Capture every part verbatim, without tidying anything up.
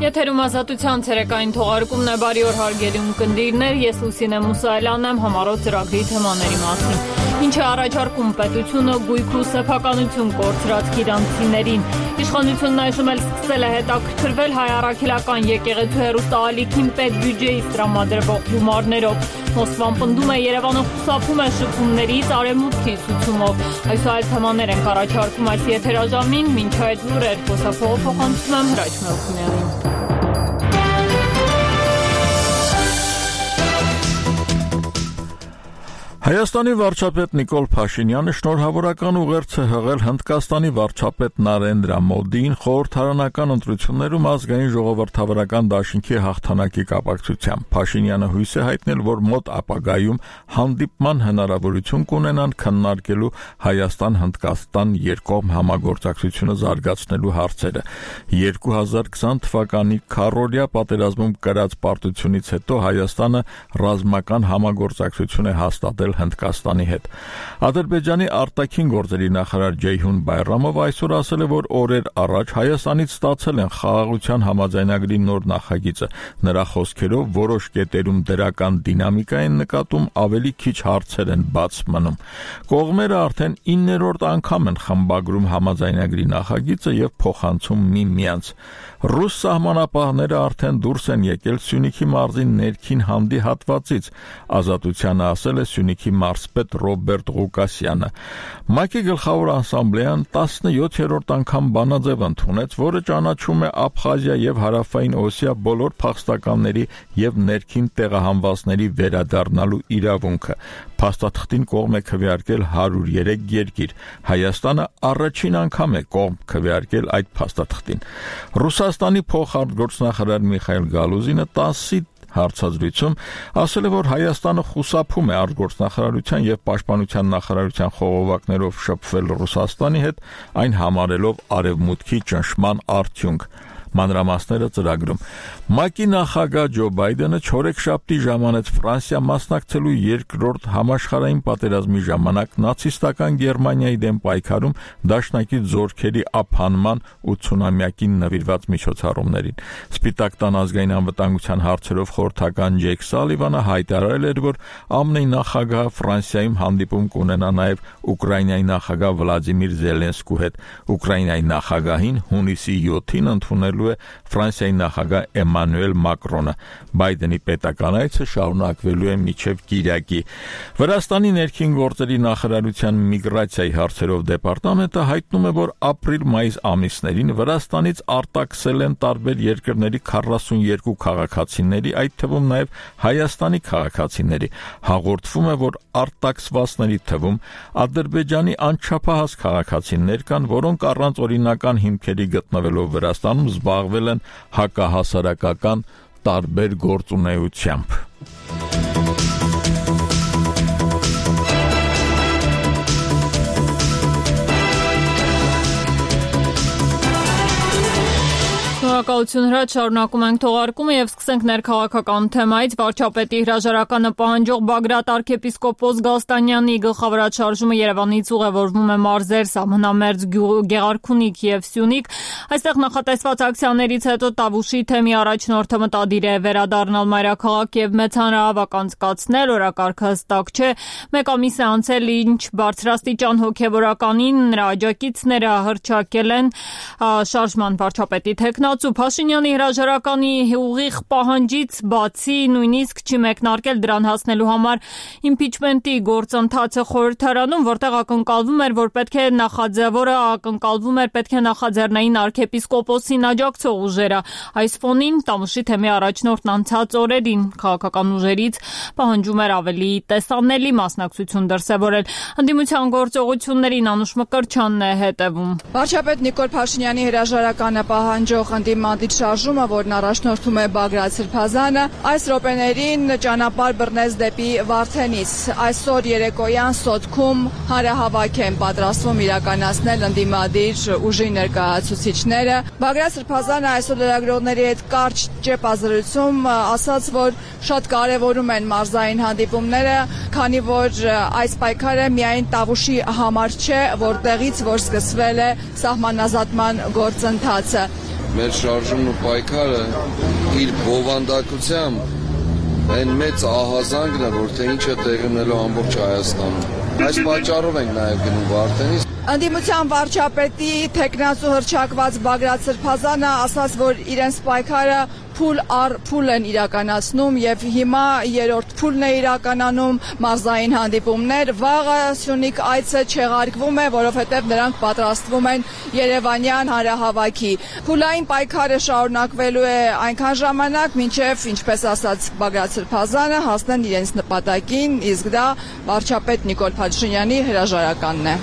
Եթերում ազատության ցերեկային թողարկումն է, բարի օր հարգելի ունկնդիրներ, ես Լուսինե Մուսայելյանն եմ, համառոտ ծրագրի թեմաների մասին։ Ինչ է առաջարկում պետությունը գույք ու սեփականություն կորցրած գիրանցիներին։ Իշխանությունն այժմ էլ սկսել է հետաքրքրվել հայ առաքելական եկեղեցու հեռուստաալիքին պետբյուջեից տրամադրվող գումարներով։ Մոսկվան պնդում է, Երևանը խուսափում է շփումներից արևմուտքի ցուցումով։ Այս այլ թեմաներ ենք առաջարկում այս եթերաժամին, մինչ այդ լուրեր խոսափողը փոխանցում եմ Հրաչ Մելքոնյանին։ Հայաստանի վարչապետ Նիկոլ Փաշինյանը շնորհավորական ուղերձ է հղել Հնդկաստանի վարչապետ Նարենդրա Մոդիին խորհրդարանական ընտրություններում ազգային ժողովրդավարական դաշինքի հաղթանակի կապակցությամբ։ Փաշինյանը հույս է հայտնել, որ մոտ ապագայում հանդիպման հնարավորություն կունենան քննարկելու Հայաստան-Հնդկաստան երկկողմ համագործակցությունը զարգացնելու հարցերը։ երկու հազար քսան թվականի քառօրյա պատերազմում կրած պարտությունից հետո Հայաստանը ռազմական համագործակցություն է հաստատել Հնդկաստանի հետ։ Ադրբեջանի արտաքին գործերի նախարար Ջեյհուն Բայրամով այսօր ասել է, որ օրեր առաջ Հայաստանից ստացել են խաղաղության համաձայնագրի նոր նախագիծը։ Նրա խոսքերով որոշ կետերում դրական դինամիկա են նկատում, ավելի քիչ հարցեր են բաց մնում։ Կողմերը արդեն իններորդ անգամ են խմբագրում համաձայնագրի նախագիծը եւ փոխանցում միմյանց։ Ռուս սահմանապահները արդեն դուրս են եկել Սյունիքի մարզի ներքին հանդի հատվածից, Ազատությանը ասել է Սյունիքի մարզպետ Ռոբերտ Ղուկասյանը։ ՄԱԿ-ի գլխավոր ասամբլեան տասնյոթերորդ անգամ բանաձև ընդունեց, որը ճանաչում է Աբխազիա եւ Հարավային Օսիա բոլոր փախստականների եւ ներքին տեղահանվածների վերադառնալու իրավունքը։ Փաստաթղթին կողմ է քվեարկել հարյուր երեք երկիր։ Հայաստանը առաջին անգամ է կողմ քվեարկել այդ փաստաթղթին։ Ռուսաստանի փոխարտգործնախարար Միխայել Գալուզինը տասի հարցազրույցում ասել է, որ Հայաստանը խուսափում է արտգործնախարարության եւ պաշտպանության նախարարության խողովակներով շփվել Ռուսաստանի հետ, այն համարելով արևմուտքի ճնշման արդյունք։ Մանրամասները ծրագրում։ ՄԱԿ-ի նախագահ Ջո Բայդենը չորեքշաբթի ժամանեց Ֆրանսիա մասնակցելու երկրորդ համաշխարհային պատերազմի ժամանակ նացիստական Գերմանիայի դեմ պայքարում դաշնակից զորքերի ափանման ութսունամյակին նվիրված միջոցառումներին։ Սպիտակ տան ազգային անվտանգության հարցերով խորհրդական Ջեյք Սալիվանը հայտարարել էր, որ ԱՄՆ-ի նախագահը Ֆրանսիայում հանդիպում կունենա նաև Ուկրաինայի նախագահ Վլադիմիր Զելենսկու հետ։ Ուկրաինայի նախագահին հունիսի յոթին ընդունելու Ֆրանսիայի նախագահ Էմանուել Մակրոնը։ Բայդենի պետական այցը շարունակվելու է մինչև կիրակի։ Վրաստանի ներքին գործերի նախարարության միգրացիայի հարցերով դեպարտամենտը հայտնում է, որ ապրիլ-մայիս ամիսներին Վրաստանից արտաքսել են տարբեր երկրների քառասունյոթ քաղաքացիների, այդ թվում նաև Հայաստանի քաղաքացիների։ Հաղորդվում է, որ արտաքսվածների թվում Ադրբեջանի անչափահաս քաղաքացիներ կան, որոնք առանց օրինական հիմքերի գտնվելով Վրաստանում զբաղվել են հակահասարակական տարբեր գործունեությամբ։ Շնորհակալություն Հրաչ, շարունակում ենք թողարկումը եւ սկսենք ներքաղաքական թեմայից։ Վարչապետի հրաժարականը պահանջող Բագրատ arczepiskopos Գալստանյանի գլխավորած շարժումը Երևանից ուղևորվում է մարզեր, սահմանամերձ Գեղարքունիք եւ Սյունիք։ Այստեղ նախատեսված ակցիաներից հետո Տավուշի թեմի առաջնորդը մտադիր է վերադառնալ մայրաքաղաք եւ մեծ հանրահավաք անցկացնել, օրակարգը հստակ չէ։ Մեկ ամիս է անցել, ինչ բարձրաստիճան հոգեվորականին նրա աջակիցները հռչակել են շարժման վարչապետի թեկնածու Փաշինյանի հրաժարականի ուղիղ պահանջից բացի նույնիսկ չի մեկնարկել դրան հասնելու համար իմպիչմենտի գործընթացը խորհրդարանում, որտեղ ակնկալվում էր, որ պետք է նախաձեռնորը ակնկալվում էր պետք է նախաձեռնային arczepiskopos-ին աջակցող ուժերը։ Այս ֆոնին Տավուշի թեմի առաջնորդն անցած օրերին քաղաքական ուժերից պահանջում էր ավելի տեսանելի մասնակցություն դրսևորել։ Ընդդիմության գործողություններին Անուշ Մկրտչյանն է հետևում։ Վարչապետ Նիկոլ Փաշինյանի հրաժարականը պահանջող ընդդիմադիր շարժումը, որն առաջնորդում է Բագրատ Սրբազանը, այս րոպեներին ճանապարհ բռնեց դեպի Վարդենիս։ Այսօր երեկոյան Սոտքում հանրահավաք են պատրաստվում իրականացնել ընդդիմադիր ուժի ներկայացուցիչները։ Բագրատ Սրբազանը այսօր լրագրողների հետ կարճ ճեպազրույցում ասաց, որ շատ կարևորում են մարզային հանդիպումները, քանի որ այս պայքարը միայն Տավուշի համար չէ, որտեղից որ սկսվել է սահմանազատման գործընթացը։ մեր շարժումն ու պայքարը իր բովանդակությամբ այն մեծ ահազանգն է, որ թե ինչ է տեղի ունելու ամբողջ Հայաստանում։ Այս պատճառով ենք նաև գնում Վարդենից։ Ընդդիմության վարչապետի թեկնածու հռչակված Բագրատ Սրբազանը ասաց, որ իրենց պայքարը փուլ առ փուլ են իրականացնում եւ հիմա երրորդ փուլն է իրականանում մարզային հանդիպումներ։ Վաղը Սյունիք այցը չեղարկվում է, որովհետեւ նրանք պատրաստվում են Երևանյան հանրահավաքի։ Փուլային պայքարը շարունակվելու է այնքան ժամանակ, մինչեւ, ինչպես ասաց Բագրատ Սրբազանը, հասնեն իրենց նպատակին, իսկ դա վարչապետ Նիկոլ Փաշինյանի հրաժարականն է։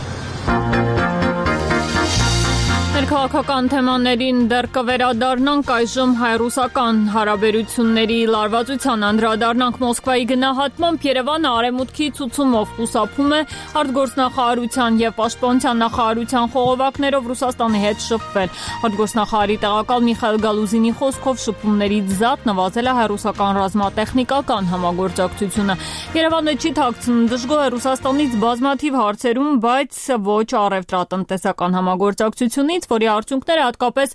Ներքաղաքական թեմաներին դեռ կվերադառնանք, այժմ հայ-ռուսական հարաբերությունների լարվածության անդրադառնանք։ Մոսկվայի գնահատմամբ Երևանը արևմուտքի ցուցումով խուսափում է արտգործնախարարության եւ պաշտպանության նախարարության խողովակներով Ռուսաստանի հետ շփվել։ Արտգործնախարարի տեղակալ Միխայել Գալուզինի խոսքով շփումներից զատ նվազել է հայ-ռուսական ռազմատեխնիկական համագործակցությունը։ Երևանը չի թաքցնում դժգոհ է Ռուսաստանից բազմաթիվ հարցերում, բայց ոչ առևտրատնտեսական համագործակցությունից, որի արդյունքները հատկապես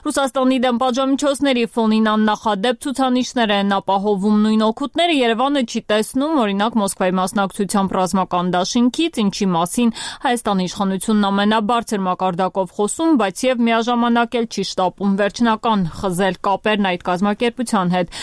Ռուսաստանի դեմ պատժամիջոցների ֆոնին աննախադեպ ցուցանիշներ են ապահովում։ Նույն օգուտները Երևանը չի տեսնում, օրինակ Մոսկվայի մասնակցությամբ ռազմական դաշինքից, ինչի մասին Հայաստանի իշխանությունն ամենաբարձր մակարդակով խոսում, բայց եւ միաժամանակ էլ չի շտապում վերջնական խզել կապերն այդ կազմակերպության հետ։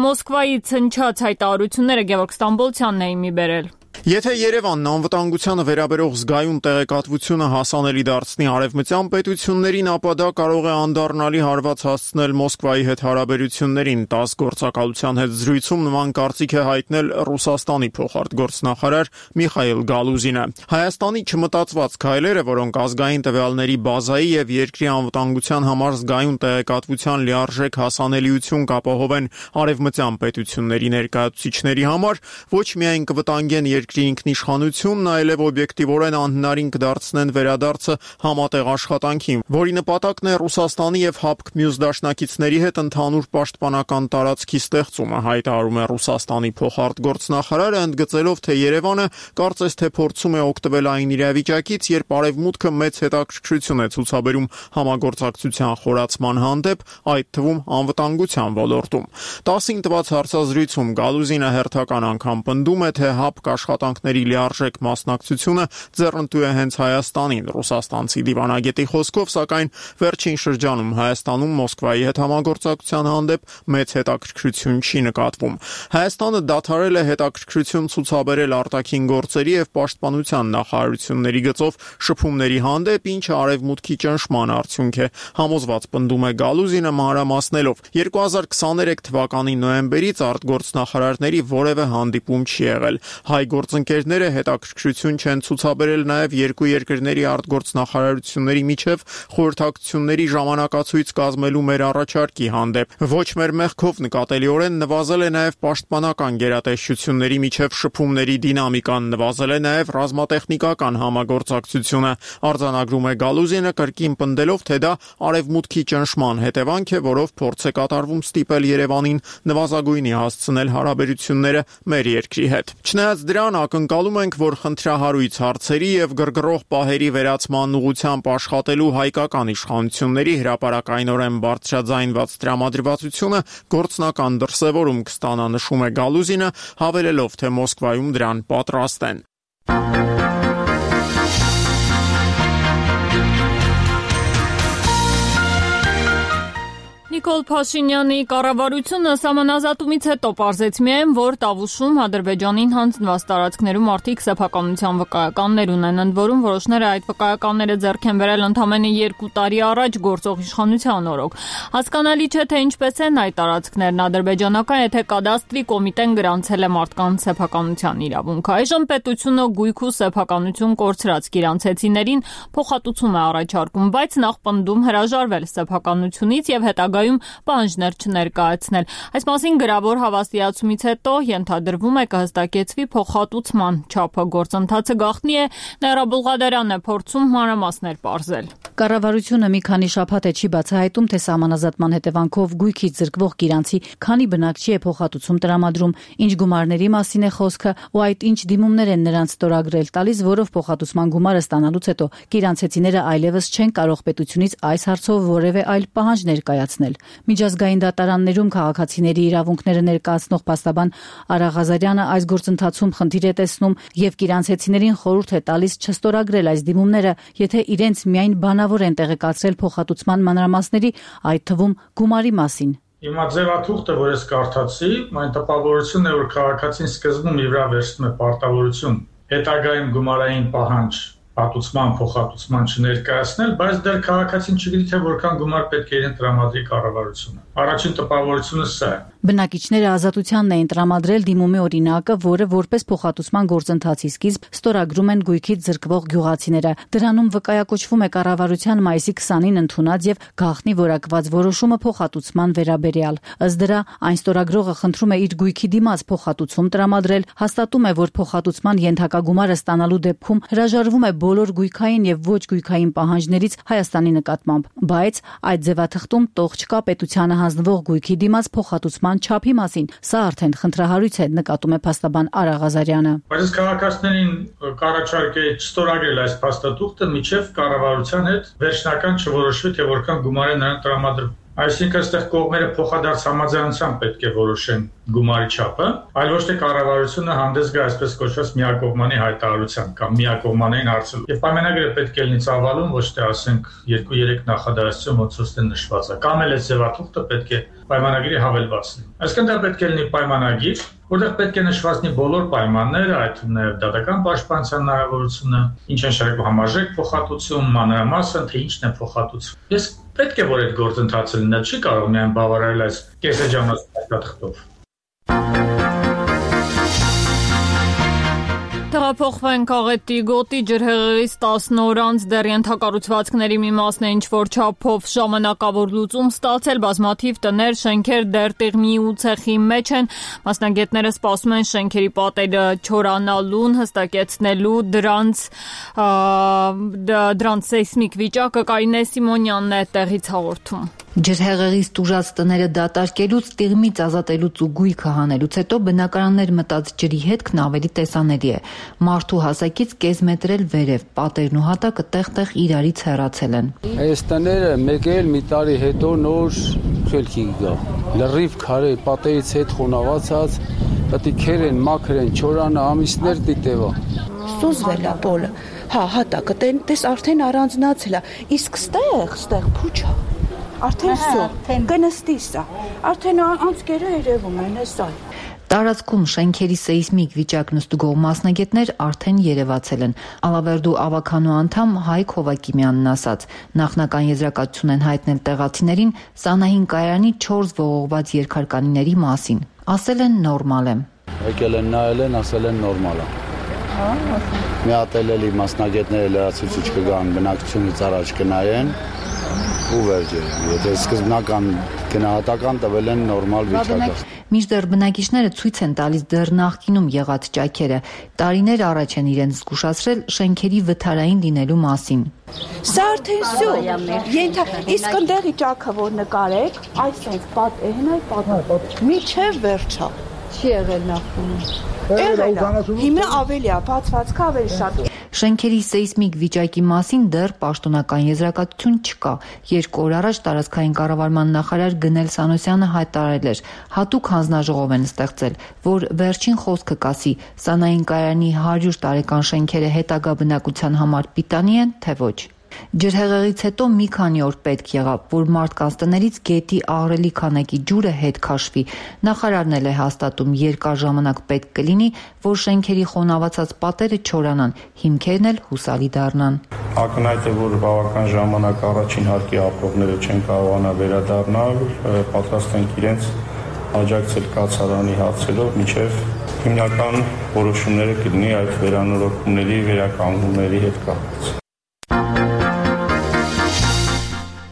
Մոսկվայից հնչած հայտարարությունները Գևորգ Ստամբոլցյանն էին մի բերել։ Եթե Երևանն անվտանգությանը վերաբերող զգայուն տեղեկատվությունը հասանելի դարձնի արևմտյան պետություններին, ապա դա կարող է անդառնալի հարված հասցնել Մոսկվայի հետ հարաբերություններին։ ՏԱՍՍ գործակալության հետ զրույցում նման կարծիք է հայտնել Ռուսաստանի փոխարտգործնախարար Միխայել Գալուզինը։ Հայաստանի չմտածված քայլերը, որոնք ազգային տվյալների բազայի եւ երկրի անվտանգության համար զգայուն տեղեկատվության լիարժեք հասանելիություն կապահովեն արևմտյան պետությունների ներկայացուցիչների համար, ոչ միայն կվտանգեն երկրի ինքնիշխանությունն, այլև օբյեկտիվորեն անհնարին կդարձնեն վերադարձը համատեղ աշխատանքին, որի նպատակն է Ռուսաստանի եւ ՀԱՊԿ մյուս դաշնակիցների հետ ընդհանուր պաշտպանական տարածքի ստեղծումը, հայտարարում է Ռուսաստանի փոխարտգործնախարարը, ընդգծելով, թե Երևանը կարծես թե փորձում է օգտվել այն իրավիճակից, երբ Արևմուտքը մեծ հետաքրքրություն է ցուցաբերում համագործակցության խորացման հանդեպ, այդ թվում անվտանգության ոլորտում։ տասին տված հարցազրույցում Գալուզինը հերթական անգամ պնդում է, թե ՀԱՊԿ աշխատանքների լիարժեք մասնակցությունը ձեռնտու է հենց Հայաստանին։ Ռուսաստանցի դիվանագետի խոսքով, սակայն վերջին շրջանում Հայաստանում Մոսկվայի հետ համագործակցության հանդեպ մեծ հետաքրքրություն չի նկատվում։ Հայաստանը դադարել է հետաքրքրություն ցուցաբերել արտաքին գործերի եւ պաշտպանության նախարարությունների գծով շփումների հանդեպ, ինչը արևմուտքի ճնշման արդյունք է, համոզված պնդում է Գալուզինը մանրամասնելով։ երկու հազար քսաներեք թվականի նոյեմբերից արտգործնախարարների որևէ հանդիպում չի եղել։ Հայ գործընկերները հետաքրքրություն չեն ցուցաբերել նաև երկու երկրների արտգործնախարարությունների միջև խորհրդակցությունների ժամանակացույց կազմելու մեր առաջարկի հանդեպ։ Ոչ մեր մեղքով նկատելիորեն նվազել է նաև պաշտպանական գերատեսչությունների միջև շփումների դինամիկան, նվազել է նաև ռազմատեխնիկական համագործակցությունը, արձանագրում է Գալուզինը, կրկին պնդելով, թե դա արևմուտքի ճնշման հետևանք է, որով փորձ է կատարվում ստիպել Երևանին նվազագույնի հասցնել հարաբերությունները մեր երկրի հետ։ Չնայած դրան, ակնկալում ենք, որ խնդրահարույց հարցերի եւ գրգռող պահերի վերացման ուղղությամբ աշխատելու հայկական իշխանությունների հրապարակայնորեն բարձրաձայնված տրամադրվածությունը գործնական դրսևորում կստանա, նշում է Գալուզինը, հավելելով, թե Մոսկվայում դրան պատրաստ են։ Նիկոլ Փաշինյանի կառավարությունը սահմանազատումից հետո պարզեց միայն, որ Տավուշում Ադրբեջանին հանձնված տարածքներում արդիկ սեփականության վկայականներ ունեն, ընդ որում որոշները այդ վկայականները ձեռք են բերել ընդամենը երկու տարի առաջ գործող իշխանության օրոք։ Հասկանալի չէ, թե ինչպես են այդ տարածքներն ադրբեջանական, եթե կադաստրի կոմիտեն գրանցել է մարդկանց սեփականության իրավունք։ Այժմ պետությունը գույք ու սեփականություն կորցրած գիրանցեցիներին փոխհատուցում է առաջարկում, բայց նախ պնդում հրաժարվել սեփականությունից եւ հետագայում հետագայում պահանջներ չներկայացնել։ Այս մասին գրավոր հավաստիացումից հետո ենթադրվում է կհստակեցվի փոխհատուցման չափը։ Գործընթացը գաղտնի է, Նաիրա Բուլղադարյանն է փորձում մանրամասներ պարզել։ Կառավարությունը մի քանի շաբաթ է չի բացահայտում, թե սահմանազատման հետևանքով գույքից զրկվող գիրանցի քանի բնակչի է փոխհատուցում տրամադրում, ինչ գումարների մասին է խոսքը ու այդ ինչ դիմումներ են նրանց ստորագրել տալիս, որով փոխհատուցման գումարը ստանալուց հետո գիրանցեցիները այլևս չեն կարող պետությունից այս հարցով որևէ այլ պահանջ ներկայացնել։ Միջազգային դատարաններում քաղաքացիների իրավունքները ներկայացնող փաստաբան Արա Ղազարյանը այս գործընթացում խնդիր է տեսնում եւ գիրանցեցիներին խորհուրդ է տալիս չստորագրել այս դիմումները, եթե իրենց միայն բանավոր են տեղեկացրել փոխհատուցման մանրամասների, այդ թվում գումարի մասին։ Հիմա ձևաթուղթը, որ ես կարդացի, այն տպավորությունն է, որ քաղաքացին սկզբում իր վրա վերցնում է պարտավորություն հետագայում գումարային պահանջ պատուցման, փոխհատուցման չներկայացնել, բայց դեռ քաղաքացին չգիտի, թե որքան գումար պետք է իրեն տրամադրի կառավարությունը։ Առաջին տպավորությունը սա է։ Բնակիչները ազատությանն էին տրամադրել դիմումի օրինակը, որը որպես փոխհատուցման գործընթացի սկիզբ ստորագրում են գույքից զրկվող գյուղացիները։ Դրանում վկայակոչվում է կառավարության մայիսի քսանին ընդունած եւ գաղտնի որակված որոշումը փոխհատուցման վերաբերյալ։ Ըստ դրա, այն ստորագրողը խնդրում է իր գույքի դիմաց փոխհատուցում տրամադրել, հաստատում է, որ փոխհատուցման ենթակա գումարը ստանալու դեպքում հրաժարվում է բոլոր գույքային եւ ոչ գույքային պահանջներից Հայաստանի նկատմամբ, բայց այդ ձևաթղթում տող չկա պետությանը հանձնվող գույքի դիմաց փոխհատուցման չափի մասին։ Սա արդեն խնդրահարույց է, նկատում է փաստաբան Արա Ղազարյանը։ Բայց քաղաքացիներին կառաջարկե չստորագրել այս փաստաթուղթը միջև կառավարության հետ վերջնական չորոշվի, թե որքան գումար է նրան տրամադրվում։ Այսինքն այստեղ կողմերը փոխադարձ համաձայնությամբ պետք է որոշեն գումարի չափը, այլ ոչ թե կառավարությունը հանդես գա այսպես կոչված միակողմանի հայտարարության կամ միակողմանային հարցով։ Եվ պայմանագիրը պետք է լինի ծավալուն, ոչ թե ասենք երկու-երեք նախադասություն ոնց որ նշված է։ Կամ էլ այս ձևաթուղթը պետք է պայմանագիրի հավելված լինի։ Այսինքն դա պետք է լինի պայմանագիր, որտեղ պետք է նշված լինի բոլոր պայմանները, այդ նաև դատական պաշտպանության հնարավորությունը, ինչ են շարժվում համարժեք փոխհատուցում, մանրամասն, թե ինչն է փոխհատուցվում։ Ես պետք է որ այդ գործընթացը լինի, չի կարող միայն բավարարել այս կեսեջանոց փաստաթղթով։ Տեղափոխվենք Աղետի գոտի ջրհեղեղից տասն օր անց դեռ ենթակառուցվածքների մի մասն է ինչ-որ չափով ժամանակավոր լուծում ստացել, բազմաթիվ տներ, շենքեր դեռ տիղմի ու ցեխի մեջ են։ Մասնագետները սպասում են շենքերի պատերը չորանալուն, հստակեցնելու դրանց դրանց սեյսմիկ վիճակը Կարինե Սիմոնյանն է տեղից հաղորդում։ Ջրհեղեղից տուժած տները դատարկելուց, տիղմից ազատելուց ու գույքը հանելուց հետո բնակարաններ մտած ջրի հետքն ավելի տեսանելի է։ Մարդու հասակից կես մետր էլ վերև, պատերն ու հատակը տեղ-տեղ իրարից հեռացել են։ Այս տները մեկ էլ մի տարի հետո նոր խելքի գա։ Լրիվ քարե պատերից հետ խոնավացած, պետքեր են, մաքր են, չորանը ամիսներ դիտեվա։ Սուզվել է բոլը։ Հա, հատակը տես արդեն առանձնացել է։ Իսկ ստեղ, ստեղ փուչա։ Արդեն всё, կնստի սա։ Արդեն անցքերը երևում են, էսա։ Տարածքում շենքերի սեյսմիկ վիճակն ստուգող մասնագետներ արդեն երևացել են։ Ալավերդու ավականու անդամ Հայկ Հովակիմյանն ասաց, նախնական եզրակացություն են հայտնել տեղացիներին Սանահին կայարանի չորս ողողված երկհարկանիների մասին։ Ասել են նորմալ է։ Եկել են նայել են, ասել են նորմալ է։ Մի հատ էլի մասնագետները լրացուցիչ կգան, բնակչությունից առաջ կնայեն ու վերջը։ Եթե սկզբնական գնահատական տվել են նորմալ վիճակը։ Մինչդեռ բնակիչները ցույց են տալիս դեռ նախկինում եղած ճաքերը, տարիներ առաջ են իրենց զգուշացրել շենքերի վթարային լինելու մասին։ Սա արդեն всё, ենթա, իսկ ընդեղի ճաքը որ նկարեք, այսպես պատ էնայ պատ, միջև վերջա։ Չի եղել նախկինում։ Հիմա ավելի է, բացվածքը ավելի շատ։ Շենքերի սեյսմիկ վիճակի մասին դեռ պաշտոնական եզրակացություն չկա։ Երկու օր առաջ տարածքային կառավարման նախարար Գնել Սանոսյանը հայտարարել էր, հատուկ հանձնաժողով են ստեղծել, որ վերջին խոսքը կասի Սանահին կայարանի հարյուր տարեկան շենքերը հետագա բնակության համար պիտանի են, թե ոչ։ Ջրհեղեղից հետո մի քանի օր պետք եղավ, որ մարդկանց տներից գետի աղրելի քանակի ջուրը հետ քաշվի։ Նախարարն էլ է հաստատում, երկար ժամանակ պետք կլինի, որ շենքերի խոնավացած պատերը չորանան, հիմքերն էլ հուսալի դառնան։ Ակնհայտ է, որ բավական ժամանակ առաջին հարկի ապրողները չեն կարողանա վերադառնալ, պատրաստ են իրենց աջակցել կացարանի հարցերով, մինչև հիմնական որոշումները կլինի այդ վերանորոգումների, վերականգնումների հետ կապված։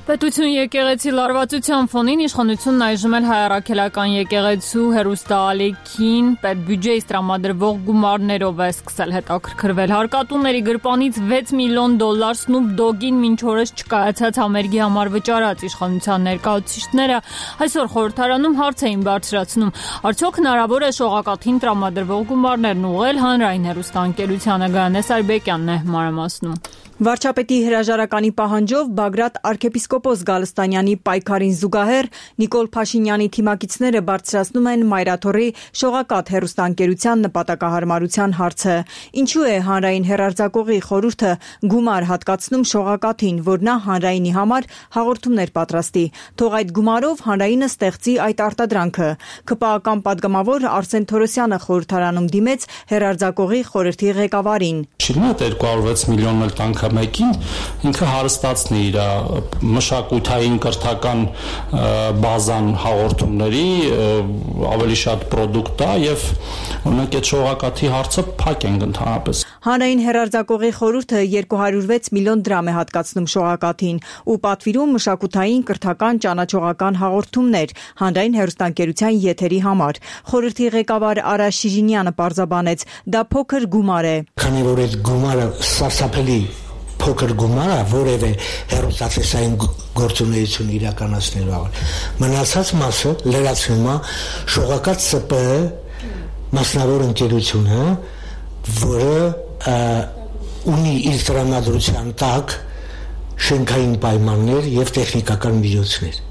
Պետություն եկեղեցի լարվածության ֆոնին իշխանությունն այժմ էլ հայ առաքելական եկեղեցու հերուստաալիքին պետբյուջեից տրամադրվող գումարներով է սկսել հետաքրքրվել։ Հարկատուների գրպանից վեց միլիոն դոլար Snoop Dogg-ին մինչ օրս չկայացած համերգի համար վճարած իշխանության ներկայացուցիչները այսօր խորհրդարանում հարց էին բարձրացնում. արդյոք հնարավոր է շողակաթին տրամադրվող գումարներն ուղղել հանրային հերուստաընկերությանը։ Գայանե Սարբեկյանն է մանրամասնում։ Վարչապետի հրաժարականի պահանջով Բագրատ arczepiskopos Գալստանյանի պայքարին զուգահեռ Նիկոլ Փաշինյանի թիմակիցները բարձրացնում են Մայրաթորի շողակաթ հերուստաընկերության նպատակահարմարության հարցը։ Ինչու է հանրային հեռարձակողի խորհուրդը գումար հատկացնում շողակաթին, որ նա հանրայինի համար հաղորդումներ պատրաստի։ Թող այդ գումարով հանրայինը ստեղծի այդ արտադրանքը։ ՔՊԱ-ական պատգամավոր Արսեն Թորոսյանը խորհրդարանում դիմեց հեռարձակողի խորհրդի ղեկավարին։ միլիոն էլ տանք մեկին ինքը հարստացնի իր մշակութային կրթական բազան հաղորդումների ավելի շատ պրոդուկտ տա եւ օրինակ այդ շողակաթի հարցը փակ ենք ընդհանրապես։ Հանրային հեռարձակողի խորհուրդը երկու հարյուր վեց միլիոն դրամ է հատկացնում շողակաթին ու պատվիրում մշակութային կրթական ճանաչողական հաղորդումներ հանրային հեռուստաընկերության եթերի համար։ Խորհրդի ղեկավար Արա Շիրինյանը պարզաբանեց, դա փոքր գումար է։ Քանի որ այդ գումարը սարսափելի փոքր գումար է, որևէ հեռուստատեսային գործունեություն իրականացնելու համար։ Մնացած մասը լրացնում է շողակաթ ՍՊԸ մասնավոր ընկերությունը, որը ունի իր տրամադրության տակ շենքային պայմաններ եւ տեխնիկական միջոցներ։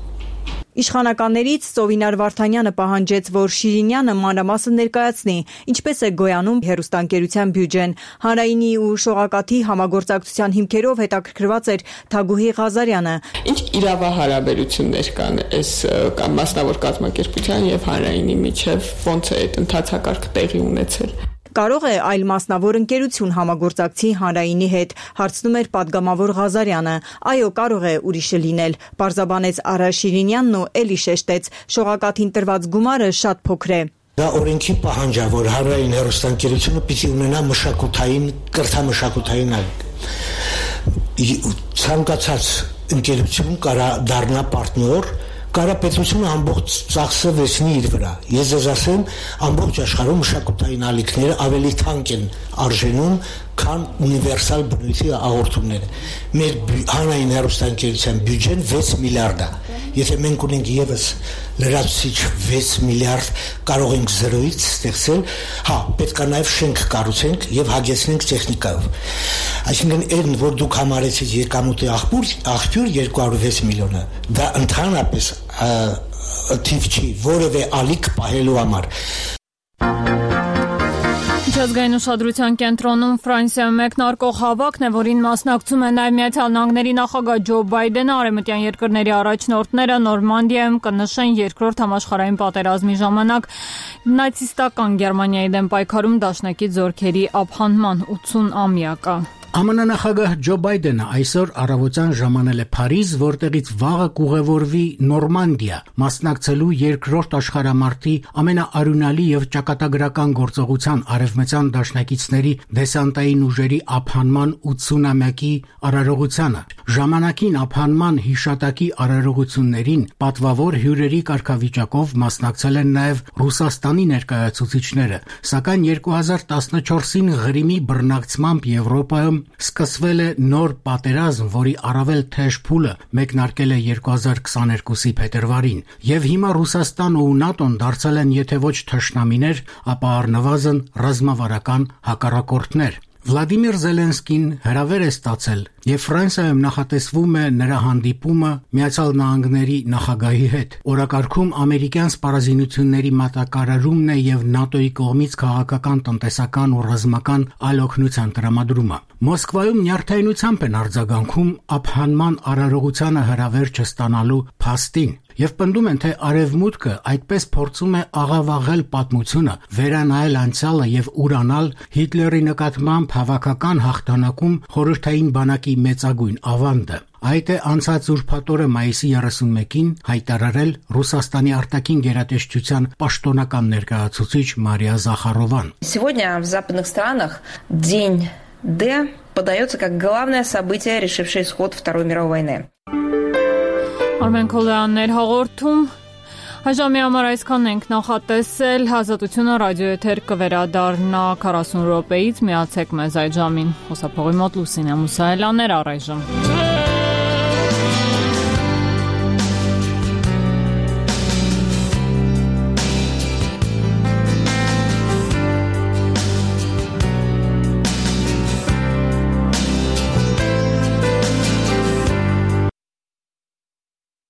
Իշխանականներից Ծովինար Վարդանյանը պահանջեց, որ Շիրինյանը մանրամասն ներկայացնի, ինչպես է գոյանում հեռուստաընկերության բյուջեն։ Հանրայինի ու շողակաթի համագործակցության հիմքերով հետաքրքրված էր Թագուհի Ղազարյանը։ Ինչ իրավահարաբերություններ կան այս կամ մասնավոր կազմակերպության եւ հանրայինի միջև, ոնց է այդ ընթացակարգը տեղի ունեցել։ Կարող է այլ մասնավոր ընկերություն համագործակցի հանրայինի հետ, հարցնում էր պատգամավոր Ղազարյանը։ Այո, կարող է ուրիշը լինել, պարզաբանեց Արա Շիրինյանն ու էլի շեշտեց, շողակաթին տրված գումարը շատ փոքր է։ Դա օրենքի պահանջ է, որ հանրային հեռուստաընկերությունը պիտի ունենա մշակութային, կրթամշակութային ցանկացած ընկերություն կարա դառնա պարտնյոր, կարա պետությունը ամբողջ ծախսը վերցնի իր վրա։ Ես ձեզ ասեմ, ամբողջ աշխարհում մշակութային ալիքները ավելի թանկ են արժենում, քան ունիվերսալ բնույթի հաղորդումները։ Մեր հանրային հեռուստաընկերության բյուջեն վեց միլիարդ է։ Եթե մենք ունենք եւս լրացուցիչ վեց միլիարդ, կարող ենք զրոյից ստեղծել, հա, պետք է նաեւ շենք կառուցենք եւ հագեցնենք տեխնիկայով։ Այսինքն այն, որ դուք համարեցիք եկամուտի աղբյուր, աղբյուր երկու հարյուր վեց միլիոնը, դա ընդհանրապես թիվ չի որևէ ալիք պահելու համար։ Միջազգային ուշադրության կենտրոնում Ֆրանսիայում մեկնարկող հավաքն է, որին մասնակցում է նաև Միացյալ Նահանգների նախագահ Ջո Բայդենը, արևմտյան երկրների առաջնորդները Նորմանդիայում կնշեն երկրորդ համաշխարհային պատերազմի ժամանակ նացիստական Գերմանիայի դեմ պայքարում դաշնակից զորքերի ապահանման ութսուն-ամյակը։ ԱՄՆ նախագահ Ջո Բայդենը այսօր առավոտյան ժամանել է Փարիզ, որտեղից վաղը կուղևորվի Նորմանդիա, մասնակցելու երկրորդ աշխարհամարտի ամենաարյունալի եւ ճակատագրական գործողության արևմտյան դաշնակիցների դեսանտային ուժերի ապահանման ութսուն-ամյակի արարողությանը։ Ժամանակին ապահանման հիշատակի արարողություններին պատվավոր հյուրերի կարգավիճակով մասնակցել են նաեւ Ռուսաստանի ներկայացուցիչները, սակայն երկու հազար տասնչորսին Ղրիմի բռնկցմամբ Եվրոպայում սկսվել է նոր պատերազմ, որի առավել թեժ փուլը մեկնարկել է երկու հազար քսաներկուսի փետրվարին, եւ հիմա Ռուսաստանն ու ՆԱՏՕ-ն դարձել են եթե ոչ թշնամիներ, ապա առնվազն ռազմավարական հակառակորդներ։ Վլադիմիր Զելենսկին հրավեր է ստացել եւ Ֆրանսիայում նախատեսվում է նրա հանդիպումը Միացյալ Նահանգների նախագահի հետ։ Օրակարգում ամերիկյան սպառազինությունների մատակարարումն է եւ ՆԱՏՕ-ի կողմից քաղաքական, տնտեսական ու ռազմական այլ օգնության տրամադրումը։ Մոսկվայում նյարդայնությամբ են արձագանքում ապահանման արարողությանը հրավեր չստանալու փաստին եւ պնդում են, թե Արևմուտքը այդպես փորձում է աղավաղել պատմությունը, վերանայել անցյալը եւ ուրանալ Հիտլերի նկատմամբ հավաքական հաղթանակում խորհրդային բանակի մեծագույն ավանդը։ Այդ է անցած ուրբաթ-օրը մայիսի երեսունմեկին հայտարարել Ռուսաստանի արտաքին գերատեսչության պաշտոնական ներկայացուցիչ Մարիա Զախարովան։ Сегодня в западных странах день Д подается как главное событие, решившее исход Второй мировой войны. Արմեն Քոլյաններ հաղորդում։ Հաջամի համար այսքան ենք նախատեսել, Ազատությունը ռադիոեթեր կվերադառնա քառասուն րոպեից, միացեք մեզ այդ ժամին։ Խոսափողի մոտ Լուսինե Մուսայելյաններ առայժմ։